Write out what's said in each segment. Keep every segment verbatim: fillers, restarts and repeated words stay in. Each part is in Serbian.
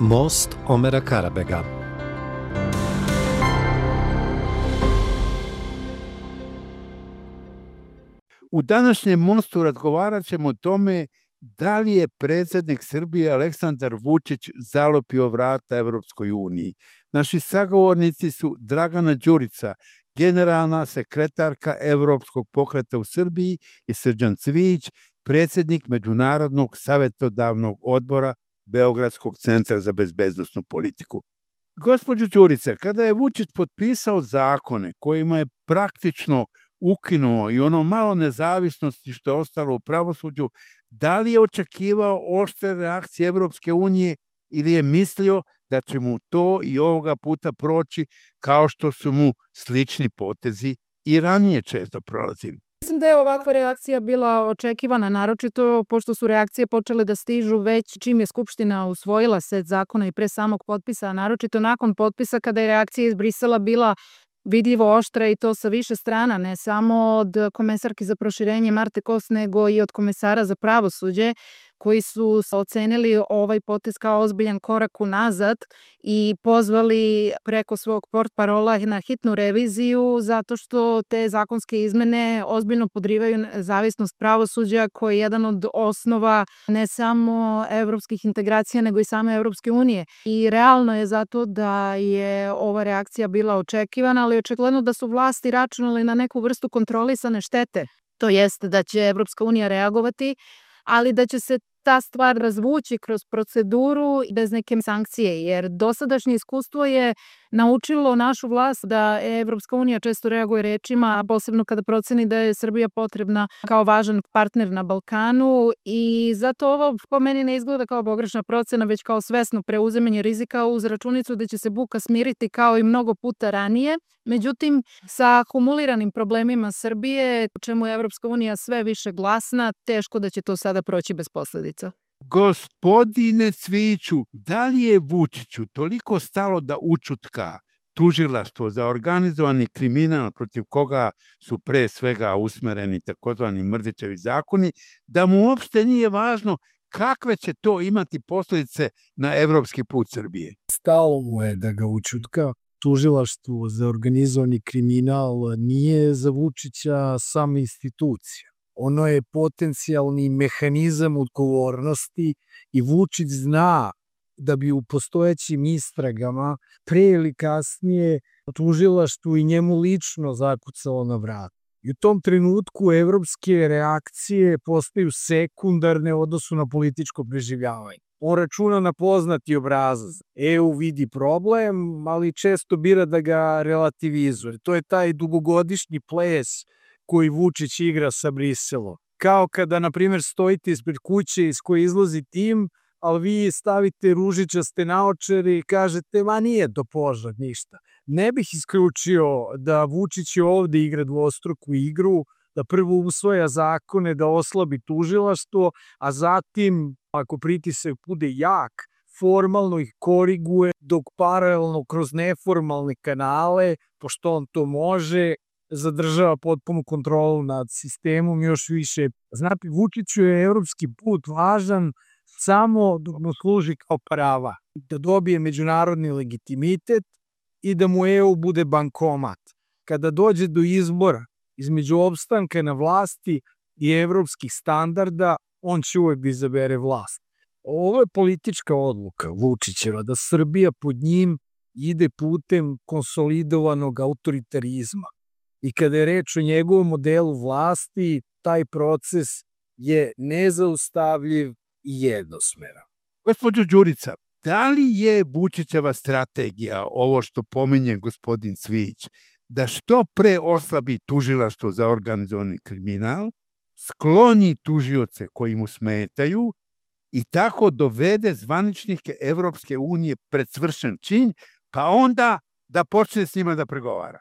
Most Omera Karabega. U današnjem Mostu razgovarat ćemo o tome da li je predsjednik Srbije Aleksandar Vučić zalopio vrata Evropskoj uniji. Naši sagovornici su Dragana Đurica, generalna sekretarka Evropskog pokreta u Srbiji, i Srđan Cvijić, predsjednik Međunarodnog savjetodavnog odbora Beogradskog centra za bezbednosnu politiku. Gospođo Đurice, kada je Vučić potpisao zakone kojima je praktično ukinuo i ono malo nezavisnosti što je ostalo u pravosuđu, da li je očekivao oštre reakcije Evropske unije ili je mislio da će mu to i ovoga puta proći kao što su mu slični potezi i ranije često prolazili? Mislim da je ovakva reakcija bila očekivana, naročito pošto su reakcije počele da stižu već čim je Skupština usvojila set zakona i pre samog potpisa, a naročito nakon potpisa kada je reakcija iz Brisela bila vidljivo oštra i to sa više strana, ne samo od komesarke za proširenje Marte Kos, nego i od komesara za pravosuđe, koji su ocenili ovaj potez kao ozbiljan korak unazad i pozvali preko svog portparola na hitnu reviziju zato što te zakonske izmene ozbiljno podrivaju nezavisnost pravosuđa koji je jedan od osnova ne samo evropskih integracija nego i same Evropske unije. I realno je zato da je ova reakcija bila očekivana, ali očigledno da su vlasti računali na neku vrstu kontrolisane štete. To jeste da će Evropska unija reagovati, ali da će se ta stvar razvući kroz proceduru bez neke sankcije, jer dosadašnje iskustvo je naučilo našu vlast da Evropska unija često reaguje rečima, a posebno kada proceni da je Srbija potrebna kao važan partner na Balkanu, i zato ovo po meni ne izgleda kao pogrešna procena, već kao svesno preuzimanje rizika uz računicu da će se buka smiriti kao i mnogo puta ranije. Međutim, sa akumuliranim problemima Srbije, u čemu je Evropska unija sve više glasna, teško da će to sada proći bez posledica. Gospodine Cvijiću, da li je Vučiću toliko stalo da ućutka tužilaštvo za organizovani kriminal protiv koga su pre svega usmereni takozvani Mrdićevi zakoni, da mu uopšte nije važno kakve će to imati posljedice na evropski put Srbije? Stalo mu je da ga ućutka. Tužilaštvo za organizovani kriminal nije za Vučića sama institucija. Ono je potencijalni mehanizam odgovornosti i Vučić zna da bi u postojećim istragama pre ili kasnije tužilaštvu i njemu lično zakucalo na vrat. I u tom trenutku evropske reakcije postaju sekundarne u odnosu na političko preživljavanje. On računa na poznati obrazac. E U vidi problem, ali često bira da ga relativizuje. To je taj dugogodišnji ples koji Vučić igra sa Briselom. Kao kada, na primjer, stojite ispred kuće iz koje izlazi tim, ali vi stavite ružičaste naočare i kažete, ma nije to požar, ništa. Ne bih isključio da Vučić ovde igra dvostruku igru, da prvo usvaja zakone da oslabi tužilaštvo, a zatim, ako pritisak bude jak, formalno ih koriguje, dok paralelno kroz neformalne kanale, pošto on to može, zadržava potpunu kontrolu nad sistemom još više. Znate, Vučiću je evropski put važan samo dok mu služi kao prava, da dobije međunarodni legitimitet i da mu E U bude bankomat. Kada dođe do izbora između opstanka na vlasti i evropskih standarda, on će uvek da izabere vlast. Ovo je politička odluka Vučićeva, da Srbija pod njim ide putem konsolidovanog autoritarizma. I kada je reč o njegovom modelu vlasti, taj proces je nezaustavljiv i jednosmeran. Gospođo Đurica, da li je Vučićeva strategija, ovo što pominje gospodin Cvijić, da što pre oslabi tužilaštvo za organizovani kriminal, skloni tužioce koji mu smetaju i tako dovede zvaničnike Evropske unije pred svršen čin, pa onda da počne s njima da pregovara?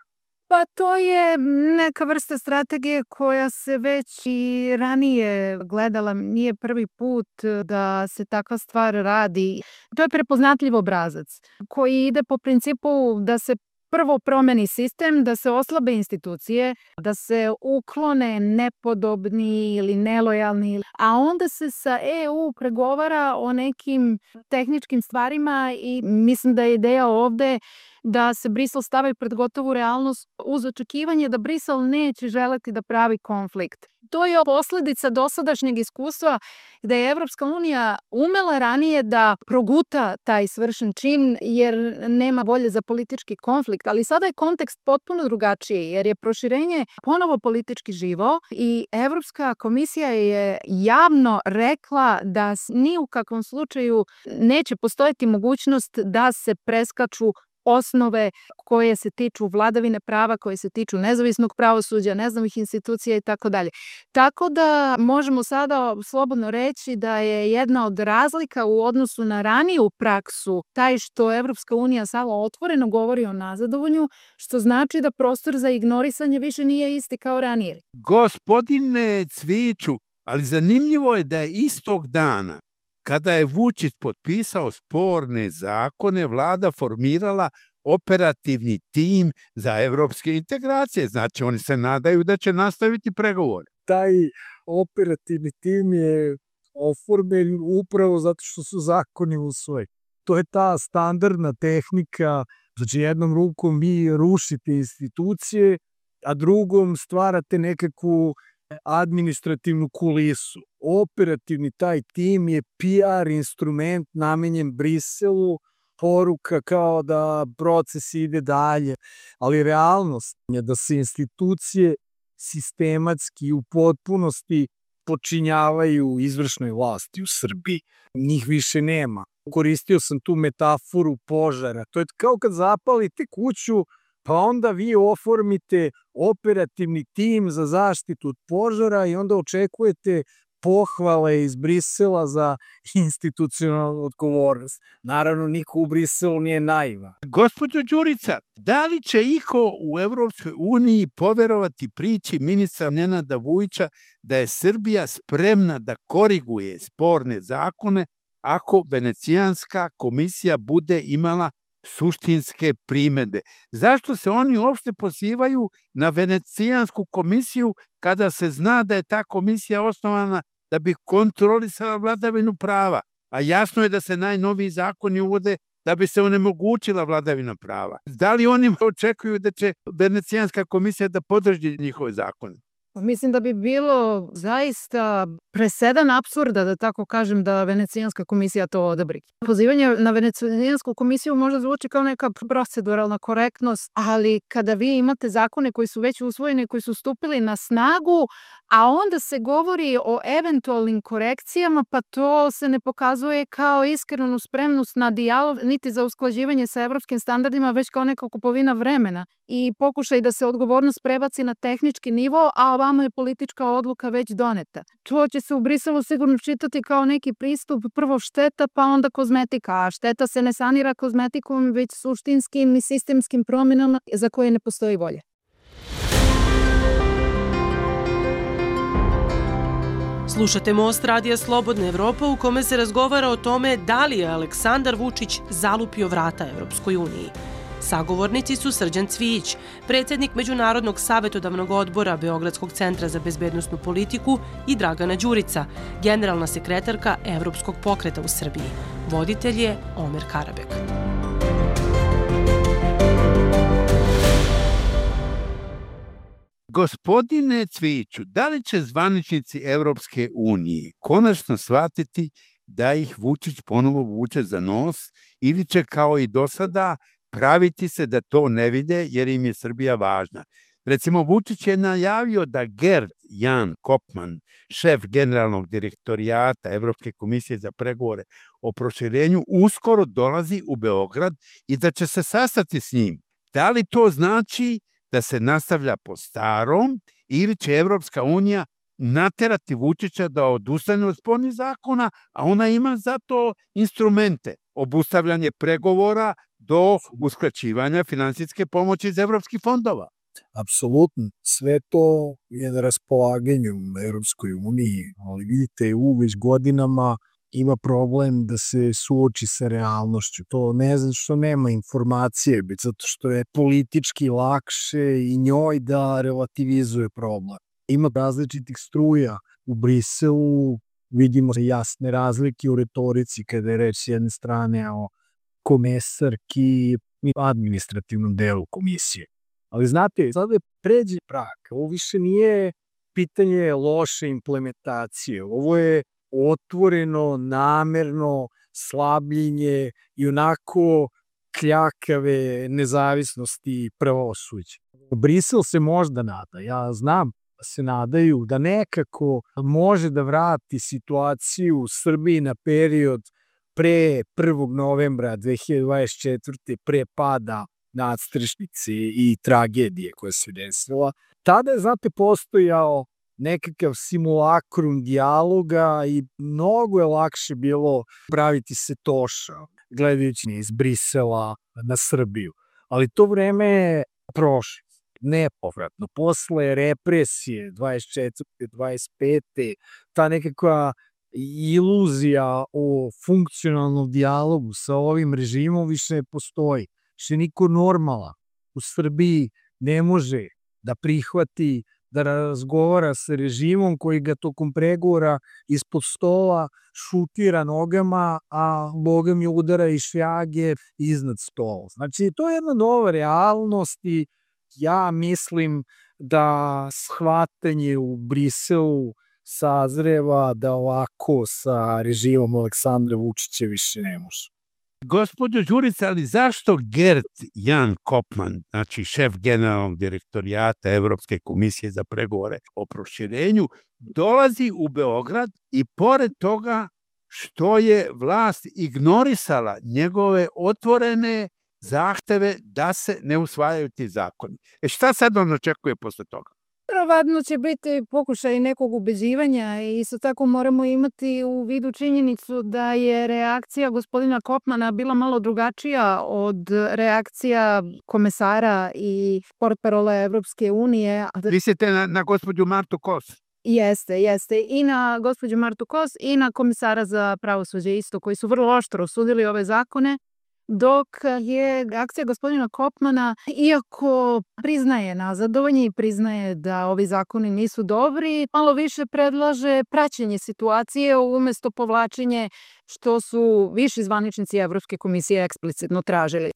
Pa to je neka vrsta strategije koja se već i ranije gledala, nije prvi put da se takva stvar radi. To je prepoznatljiv obrazac koji ide po principu da se prvo promeni sistem, da se oslabe institucije, da se uklone nepodobni ili nelojalni, a onda se sa E U pregovara o nekim tehničkim stvarima i mislim da je ideja ovde da se Brisel stavi pred gotovu realnost uz očekivanje da Brisel neće želeti da pravi konflikt. To je posledica dosadašnjeg iskustva gde je Evropska unija umela ranije da proguta taj svršen čin jer nema volje za politički konflikt, ali sada je kontekst potpuno drugačiji jer je proširenje ponovo politički živo i Evropska komisija je javno rekla da ni u kakvom slučaju neće postojati mogućnost da se preskaču osnove koje se tiču vladavine prava, koje se tiču nezavisnog pravosuđa, nezavisnih institucija i tako dalje. Tako da možemo sada slobodno reći da je jedna od razlika u odnosu na raniju praksu taj što Evropska unija sada otvoreno govori o nazadovanju, što znači da prostor za ignorisanje više nije isti kao ranije. Gospodine Cviću, ali zanimljivo je da je istog dana kada je Vučić potpisao sporne zakone, vlada formirala operativni tim za evropske integracije. Znači, oni se nadaju da će nastaviti pregovore. Taj operativni tim je oformljen upravo zato što su zakoni usvojeni. To je ta standardna tehnika, znači jednom rukom vi rušite institucije, a drugom stvarate nekakvu administrativnu kulisu. Operativni taj tim je P R instrument namenjen Briselu, poruka kao da proces ide dalje, ali realnost je da se institucije sistematski u potpunosti počinjavaju izvršnoj vlasti u Srbiji. Njih više nema. Koristio sam tu metaforu požara. To je kao kad zapalite kuću, pa onda vi oformite operativni tim za zaštitu od požara i onda očekujete pohvale iz Brisela za institucionalnu odgovornost. Naravno, niko u Briselu nije naivan. Gospođo Đurica, da li će iko u Evropskoj uniji poverovati priči ministra Nenada Vujića da je Srbija spremna da koriguje sporne zakone ako Venecijanska komisija bude imala suštinske primedbe? Zašto se oni uopšte pozivaju na Venecijansku komisiju kada se zna da je ta komisija osnovana da bi kontrolisala vladavinu prava? A jasno je da se najnoviji zakoni uvode da bi se onemogućila vladavina prava. Da li oni očekuju da će Venecijanska komisija da podrži njihove zakone? Mislim da bi bilo zaista presedan apsurda, da tako kažem, da Venecijanska komisija to odabri. Pozivanje na Venecijansku komisiju možda zvuči kao neka proceduralna korektnost, ali kada vi imate zakone koji su već usvojeni, koji su stupili na snagu, a onda se govori o eventualnim korekcijama, pa to se ne pokazuje kao iskrenu spremnost na dijalog, niti za usklađivanje sa evropskim standardima, već kao neka kupovina vremena i pokušaj da se odgovornost prebaci na tehnički nivo, a ovamo je politička odluka već doneta. To će se u Briselu sigurno čitati kao neki pristup, prvo šteta, pa onda kozmetika, a šteta se ne sanira kozmetikom, već suštinskim i sistemskim promjenama za koje ne postoji volja. Slušate Most Radija Slobodna Evropa u kome se razgovara o tome da li je Aleksandar Vučić zalupio vrata Evropskoj uniji. Sagovornici su Srđan Cvijić, predsjednik Međunarodnog savjetodavnog odbora Beogradskog centra za bezbednosnu politiku i Dragana Đurica, generalna sekretarka Evropskog pokreta u Srbiji. Voditelj je Omer Karabek. Gospodine Cvijiću, da li će zvaničnici Evropske unije konačno shvatiti da ih Vučić ponovo vuče za nos ili će kao i do sada praviti se da to ne vide jer im je Srbija važna? Recimo, Vučić je najavio da Gerd Jan Kopman, šef generalnog direktorijata Evropske komisije za pregovore o proširenju, uskoro dolazi u Beograd i da će se sastati s njim. Da li to znači da se nastavlja po starom ili će Evropska unija naterati Vučića da odustane od spornih zakona, a ona ima za to instrumente, obustavljanje pregovora do uskraćivanja finansijske pomoći iz evropskih fondova? Apsolutno. Sve to je na raspolaganju Evropskoj uniji, ali vidite, E U već godinama ima problem da se suoči sa realnošću. To ne znam što nema informacije, već zato što je politički lakše i njoj da relativizuje problem. Ima različitih struja u Briselu, vidimo jasne razlike u retorici kada je reč s jedne strane o komesarki i administrativnom delu komisije. Ali znate, sada je pređe prag. Ovo više nije pitanje loše implementacije. Ovo je otvoreno, namerno slabljenje i onako kljakave nezavisnosti pravosuđa. Brisel se možda nada, ja znam da se nadaju da nekako može da vrati situaciju u Srbiji na period pre prvog novembra dve hiljade dvadeset četvrte. pre pada nadstrešnice i tragedije koja se desila. Tada je, znate, postojao nekakav simulakrum dijaloga i mnogo je lakše bilo praviti se toša, gledajući iz Brisela na Srbiju. Ali to vreme je prošlo, nepovratno. Posle represije dvadeset četvrte. dvadeset pete. ta nekakva iluzija o funkcionalnom dijalogu sa ovim režimom više ne postoji. Više niko normala u Srbiji ne može da prihvati da razgovara sa režimom koji ga tokom pregovora ispod stola šutira nogama, a Boga mi udara i šljage iznad stola. Znači, to je jedna nova realnost i ja mislim da shvatanje u Briselu sazreva da ovako sa režimom Aleksandra Vučića više ne može. Gospođo Đurica, ali zašto Gert Jan Kopman, znači šef generalnog direktorijata Evropske komisije za pregovore o proširenju, dolazi u Beograd i pored toga što je vlast ignorisala njegove otvorene zahteve da se ne usvajaju ti zakoni? E šta sad on očekuje posle toga? Verovatno će biti pokušaj nekog ubeđivanja i isto tako moramo imati u vidu činjenicu da je reakcija gospodina Kopmana bila malo drugačija od reakcija komesara i portparola Evropske unije. Mislite na, na gospođu Martu Kos? Jeste, jeste. I na gospođu Martu Kos i na komisara za pravosuđe isto, koji su vrlo oštro osudili ove zakone, dok je akcija gospodina Kopmana, iako priznaje nazadovanje i priznaje da ovi zakoni nisu dobri, malo više predlaže praćenje situacije umesto povlačenje što su viši zvaničnici Evropske komisije eksplicitno tražili.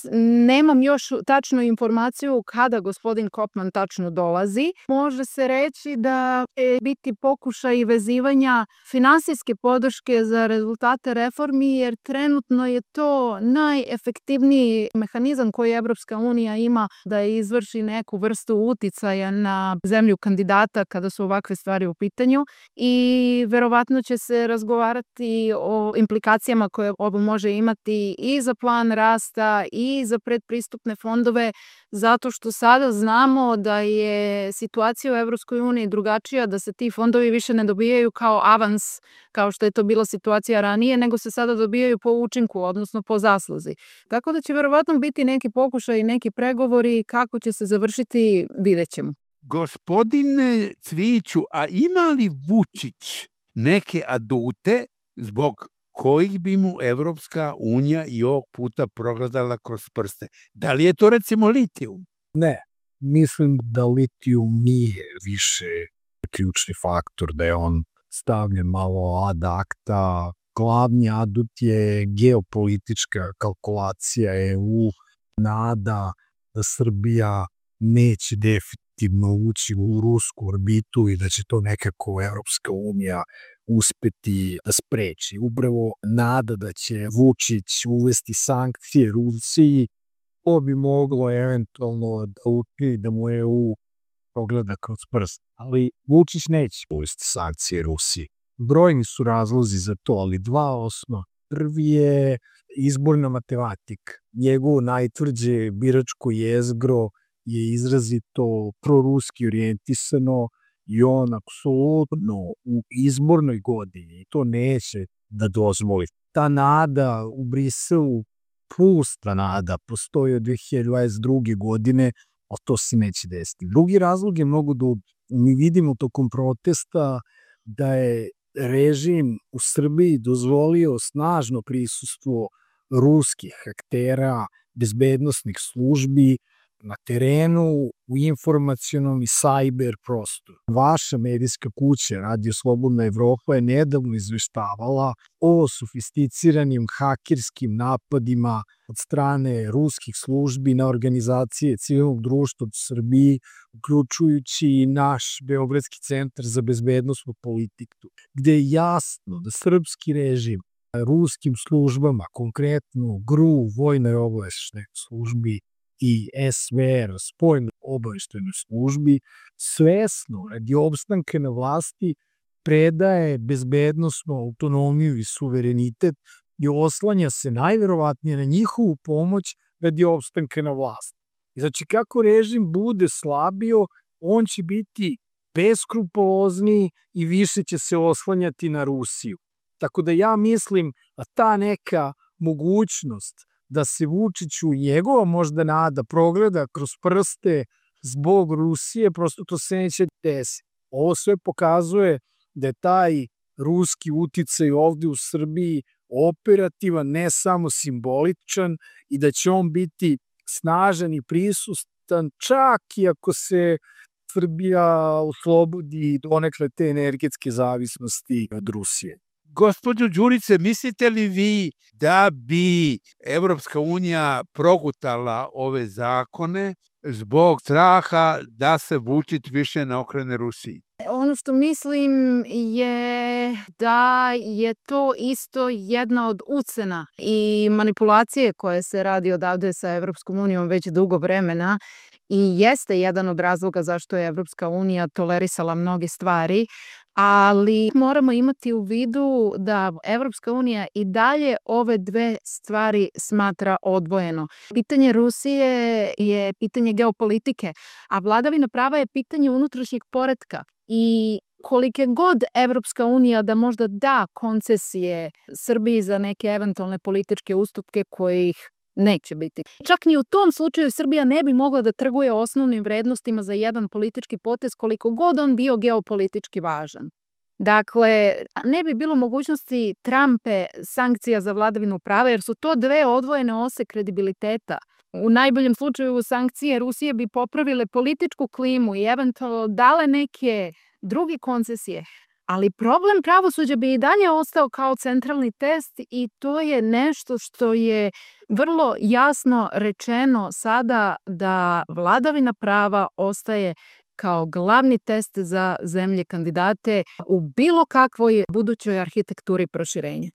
Nemam još tačnu informaciju kada gospodin Kopman tačno dolazi. Može se reći da će biti pokušaj vezivanja finansijske podrške za rezultate reformi, jer trenutno je to najefektivniji mehanizam koji Evropska unija ima da izvrši neku vrstu uticaja na zemlju kandidata kada su ovakve stvari u pitanju i verovatno će se razgovarati o implikacijama koje ovo može imati i za plan rasta i za predpristupne fondove, zato što sada znamo da je situacija u Evropskoj uniji drugačija, da se ti fondovi više ne dobijaju kao avans, kao što je to bila situacija ranije, nego se sada dobijaju po učinku, odnosno po zasluzi. Tako da će verovatno biti neki pokušaj i neki pregovori, kako će se završiti, vidjet ćemo. Gospodine Cvijiću, a ima li Vučić neke adute zbog kojih bi mu Evropska unija i ovog puta progledala kroz prste? Da li je to recimo litijum? Ne, mislim da litijum nije više ključni faktor, da je on stavljen malo ad acta. Glavni adut je geopolitička kalkulacija E U, nada da Srbija neće definitivno ući u rusku orbitu i da će to nekako Evropska unija uspeti da spreči. Upravo nada da će Vučić uvesti sankcije Rusiji, to bi moglo eventualno da učini da mu E U pogleda kroz prst. Ali Vučić neće uvesti sankcije Rusiji. Brojni su razlozi za to, ali dva osnova. Prvi je izborna matematika. Njegovo najtvrđe biračko jezgro je izrazito proruski orijentisano i on apsolutno u izbornoj godini to neće da dozvoli. Ta nada u Briselu, plus ta nada, postoji od dve hiljade dvadeset druge. godine, a to se neće desiti. Drugi razlog je mnogo dublji. Mi vidimo tokom protesta da je režim u Srbiji dozvolio snažno prisustvo ruskih aktera, bezbednosnih službi na terenu, u informacionom i sajber prostoru. Vaša medijska kuća, Radio Slobodna Evropa, je nedavno izveštavala o sofisticiranim hakerskim napadima od strane ruskih službi na organizacije civilnog društva u Srbiji, uključujući i naš Beogradski centar za bezbednosnu politiku, gde je jasno da srpski režim ruskim službama, konkretno G R U, Vojnoj obaveštajnoj službi, i S V R, Spoljnoj obaveštajnoj službi, svesno radi opstanka na vlasti predaje bezbednosnu autonomiju i suverenitet i oslanja se najverovatnije na njihovu pomoć radi opstanka na vlasti. Znači, kako režim bude slabio, on će biti beskrupulozniji i više će se oslanjati na Rusiju. Tako da ja mislim da ta neka mogućnost da se Vučiću njegova možda nada progleda kroz prste zbog Rusije, prosto to se neće desiti. Ovo sve pokazuje da je taj ruski uticaj ovde u Srbiji operativan, ne samo simboličan, i da će on biti snažan i prisutan čak i ako se Srbija oslobodi donekle te energetske zavisnosti od Rusije. Gospođo Đurice, mislite li vi da bi Evropska unija progutala ove zakone zbog straha da se Vučić više ne okrene Rusiji? Ono što mislim je da je to isto jedna od ucena i manipulacije koje se radi odavde sa Evropskom unijom već dugo vremena i jeste jedan od razloga zašto je Evropska unija tolerisala mnoge stvari, ali moramo imati u vidu da Evropska unija i dalje ove dve stvari smatra odvojeno. Pitanje Rusije je pitanje geopolitike, a vladavina prava je pitanje unutrašnjeg poretka. I kolike god Evropska unija da možda da koncesije Srbiji za neke eventualne političke ustupke kojih neće biti. Čak ni u tom slučaju Srbija ne bi mogla da trguje osnovnim vrednostima za jedan politički potez koliko god on bio geopolitički važan. Dakle, ne bi bilo mogućnosti trampe sankcija za vladavinu prava jer su to dve odvojene ose kredibiliteta. U najboljem slučaju sankcije Rusije bi popravile političku klimu i eventualno dale neke druge koncesije. Ali problem pravosuđa bi i dalje ostao kao centralni test i to je nešto što je vrlo jasno rečeno sada da vladavina prava ostaje kao glavni test za zemlje kandidate u bilo kakvoj budućoj arhitekturi proširenja.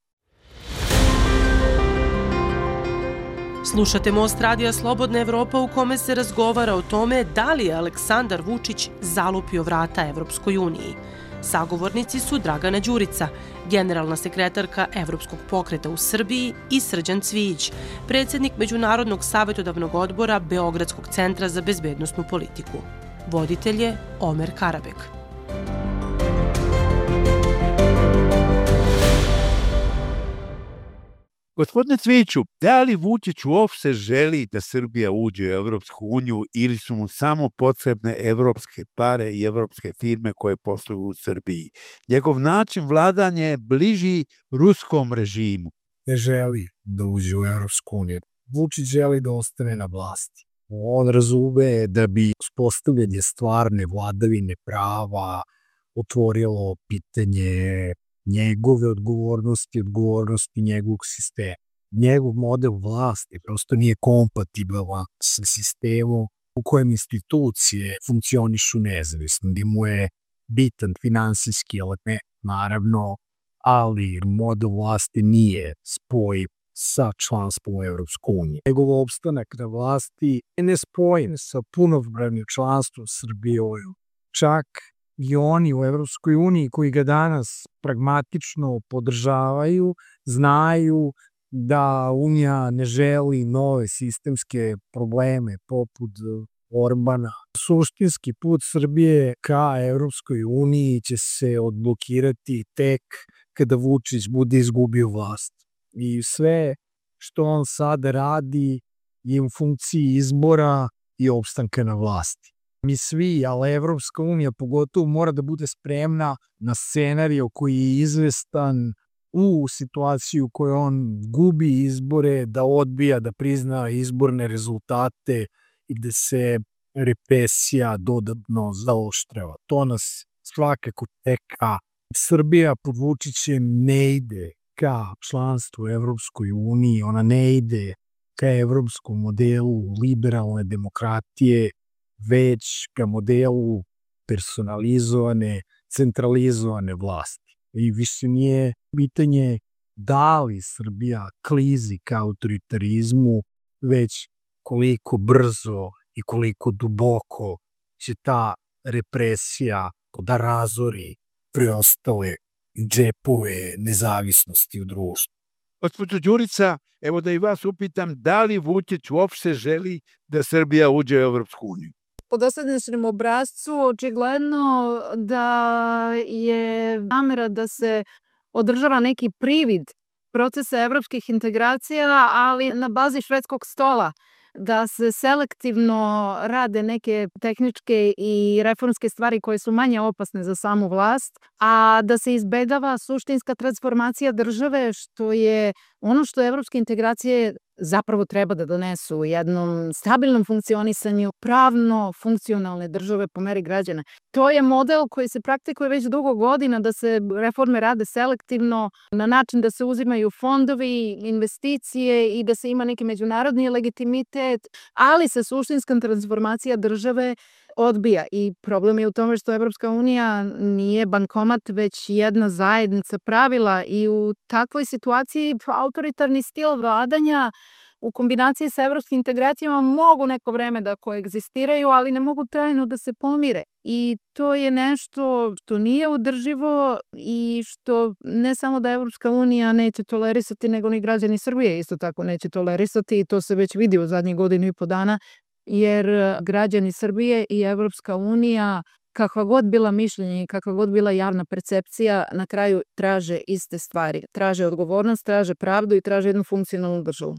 Slušate Most radija Slobodna Evropa u kome se razgovara o tome da li je Aleksandar Vučić zalupio vrata Evropskoj uniji. Sagovornici su Dragana Đurica, generalna sekretarka Evropskog pokreta u Srbiji, i Srđan Cvijić, predsjednik Međunarodnog savjetodavnog odbora Beogradskog centra za bezbednosnu politiku. Voditelj je Omer Karabek. Gospodine Cvijiću, da li Vučić uopšte želi da Srbija uđe u Evropsku uniju ili su mu samo potrebne evropske pare i evropske firme koje posluju u Srbiji? Njegov način vladanja je bliži ruskom režimu. Ne želi da uđe u Evropsku uniju. Vučić želi da ostane na vlasti. On razume da bi uspostavljanje stvarne vladavine prava otvorilo pitanje njegove odgovornosti, odgovornosti njegovog sistema. Njegov model vlasti prosto nije kompatibilan sa sistemom u kojem institucije funkcionišu nezavisno, gdje mu je bitan finansijski element, naravno, ali model vlasti nije spoj sa članstvom u Evropskoj uniji. Njegov opstanak na vlasti je nespojen sa punopravnim članstvom Srbije. Čak i oni u Evropskoj uniji koji ga danas pragmatično podržavaju, znaju da Unija ne želi nove sistemske probleme poput Orbana. Suštinski put Srbije ka Evropskoj uniji će se odblokirati tek kada Vučić bude izgubio vlast. I sve što on sada radi je u funkciji izbora i opstanka na vlasti. Mi svi, ali Evropska unija pogotovo mora da bude spremna na scenario koji je izvestan u situaciju u kojoj on gubi izbore, da odbija da prizna izborne rezultate i gde se represija dodatno zaoštrava. To nas svakako čeka. Srbija pod Vučićem ne ide ka članstvu u Evropskoj uniji, ona ne ide ka evropskom modelu liberalne demokratije, već ka modelu personalizovane, centralizovane vlasti. I više nije pitanje da li Srbija klizi ka autoritarizmu, već koliko brzo i koliko duboko će ta represija da razori preostale džepove nezavisnosti u društvu. Gospođo Đurica, evo da i vas upitam, da li Vučić uopšte želi da Srbija uđe u Evropsku uniju? Po dosadašnjem obrascu očigledno da je namera da se održava neki privid procesa evropskih integracija, ali na bazi švedskog stola, da se selektivno rade neke tehničke i reformske stvari koje su manje opasne za samu vlast, a da se izbegava suštinska transformacija države, što je ono što evropske integracije zapravo treba da donesu u jednom stabilnom funkcionisanju pravno funkcionalne države po meri građana. To je model koji se praktikuje već dugo godina, da se reforme rade selektivno na način da se uzimaju fondovi, investicije i da se ima neki međunarodni legitimitet, ali se suštinska transformacija države odbija. I problem je u tome što Evropska unija nije bankomat, već jedna zajednica pravila i u takvoj situaciji autoritarni stil vladanja u kombinaciji sa evropskim integracijama mogu neko vreme da koegzistiraju, ali ne mogu trajno da se pomire. I to je nešto što nije održivo i što ne samo da Evropska unija neće tolerisati, nego ni građani Srbije isto tako neće tolerisati i to se već vidi u zadnjih godinu i po dana, jer građani Srbije i Evropska unija, kakva god bila mišljenje i kakva god bila javna percepcija, na kraju traže iste stvari. Traže odgovornost, traže pravdu i traže jednu funkcionalnu državu.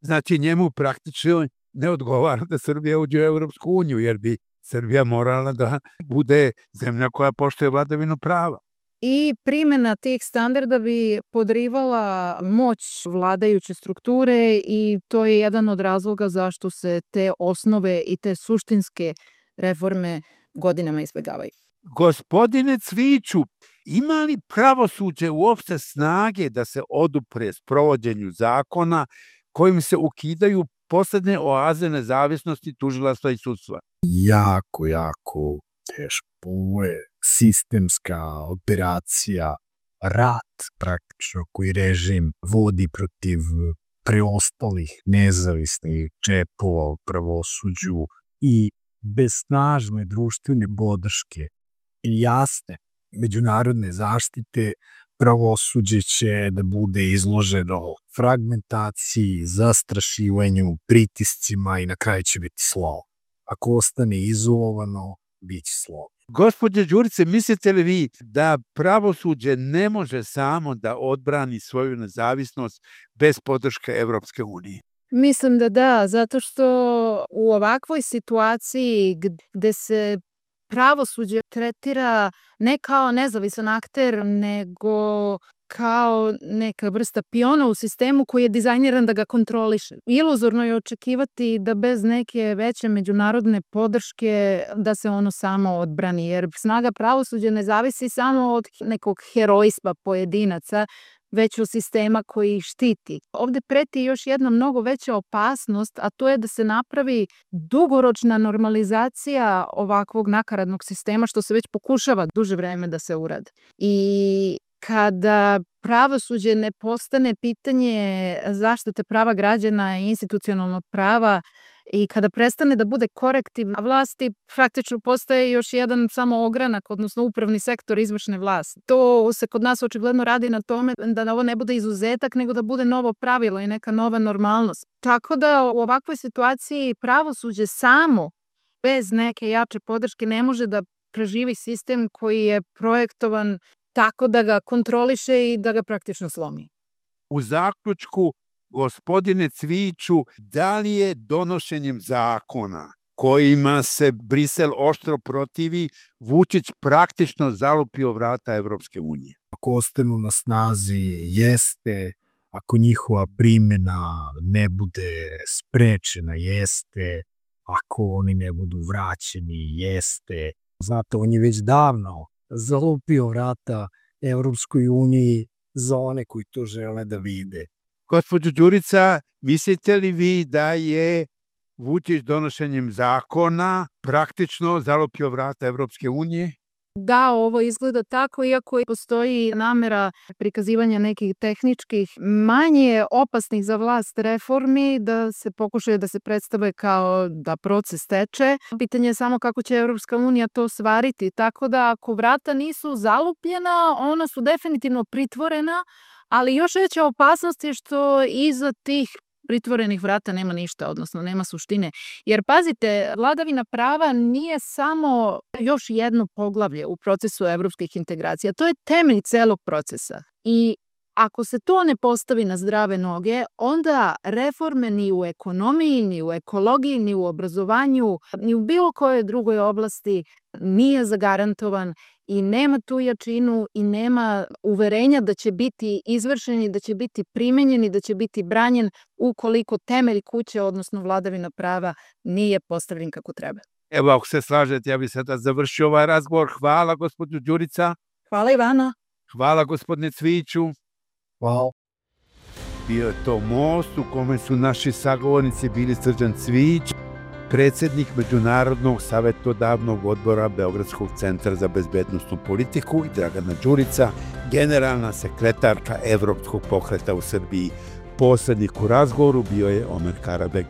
Znači njemu praktično ne odgovara da Srbija uđe u Evropsku uniju, jer bi Srbija morala da bude zemlja koja poštuje vladavinu prava. I primjena tih standarda bi podrivala moć vladajuće strukture i to je jedan od razloga zašto se te osnove i te suštinske reforme godinama izbegavaju. Gospodine Cviću, ima li pravosuđe uopšte snage da se odupre sprovođenju zakona kojim se ukidaju poslednje oaze nezavisnosti tužilaštva i sudstva? Jako, jako teško. Ovo je sistemska operacija, rat praktično koji režim vodi protiv preostalih nezavisnih džepova u pravosuđu i bez snažne društvene podrške i jasne međunarodne zaštite pravosuđe će da bude izloženo fragmentaciji, zastrašivanju, pritiscima i na kraju će biti slabo. Ako ostane izolovano, bit će slabo. Gospođe Đurice, mislite li vi da pravosuđe ne može samo da odbrani svoju nezavisnost bez podrške Evropske unije? Mislim da da, zato što u ovakvoj situaciji gde se pravosuđe tretira ne kao nezavisan akter, nego kao neka vrsta piona u sistemu koji je dizajniran da ga kontroliše. Iluzorno je očekivati da bez neke veće međunarodne podrške da se ono samo odbrani, jer snaga pravosuđa ne zavisi samo od nekog herojstva pojedinaca, već od sistema koji ih štiti. Ovde preti još jedna mnogo veća opasnost, a to je da se napravi dugoročna normalizacija ovakvog nakaradnog sistema, što se već pokušava duže vreme da se uradi. I kada pravosuđe ne postane pitanje zaštite prava građana i institucionalnog prava i kada prestane da bude korektiv vlasti, praktično postaje još jedan samo ogranak, odnosno upravni sektor izvršne vlasti. To se kod nas očigledno radi na tome da ovo ne bude izuzetak, nego da bude novo pravilo i neka nova normalnost. Tako da u ovakvoj situaciji pravosuđe samo, bez neke jače podrške, ne može da preživi sistem koji je projektovan tako da ga kontroliše i da ga praktično slomi. U zaključku, gospodine Cviću, da li je donošenjem zakona kojima se Brisel oštro protivi, Vučić praktično zalupio vrata Evropske unije. Ako ostanu na snazi, jeste, ako njihova primjena ne bude sprečena, jeste, ako oni ne budu vraćeni, jeste. Znate, on je već davno zalupio vrata Evropskoj uniji za one koji to žele da vide. Gospođo Đurica, mislite li vi da je Vučić donošenjem zakona praktično zalupio vrata Evropske unije? Da, ovo izgleda tako, iako postoji namera prikazivanja nekih tehničkih, manje opasnih za vlast reformi, da se pokušaju da se predstave kao da proces teče. Pitanje je samo kako će Evropska unija to svariti, tako da ako vrata nisu zalupljena, ona su definitivno pritvorena, ali još veća opasnost je što iza tih pritvorenih vrata nema ništa, odnosno nema suštine. Jer pazite, vladavina prava nije samo još jedno poglavlje u procesu evropskih integracija. To je temelj celog procesa. I ako se to ne postavi na zdrave noge, onda reforme ni u ekonomiji, ni u ekologiji, ni u obrazovanju, ni u bilo kojoj drugoj oblasti nije zagarantovan i nema tu jačinu i nema uverenja da će biti izvršeni, da će biti primenjeni, da će biti branjen ukoliko temelj kuće, odnosno vladavina prava, nije postavljen kako treba. Evo, ako se slažete, ja bih sada završio ovaj razgovor. Hvala, gospođo Đurica. Hvala Ivana. Hvala, gospodine Cvijiću. Hvala. Bio je to most u kome su naši sagovornici bili Srđan Cvijić, predsednik Međunarodnog savetodavnog odbora Beogradskog centra za bezbednosnu politiku, i Dragana Đurica, generalna sekretarka Evropskog pokreta u Srbiji. Posrednik u razgovoru bio je Omer Karabeg.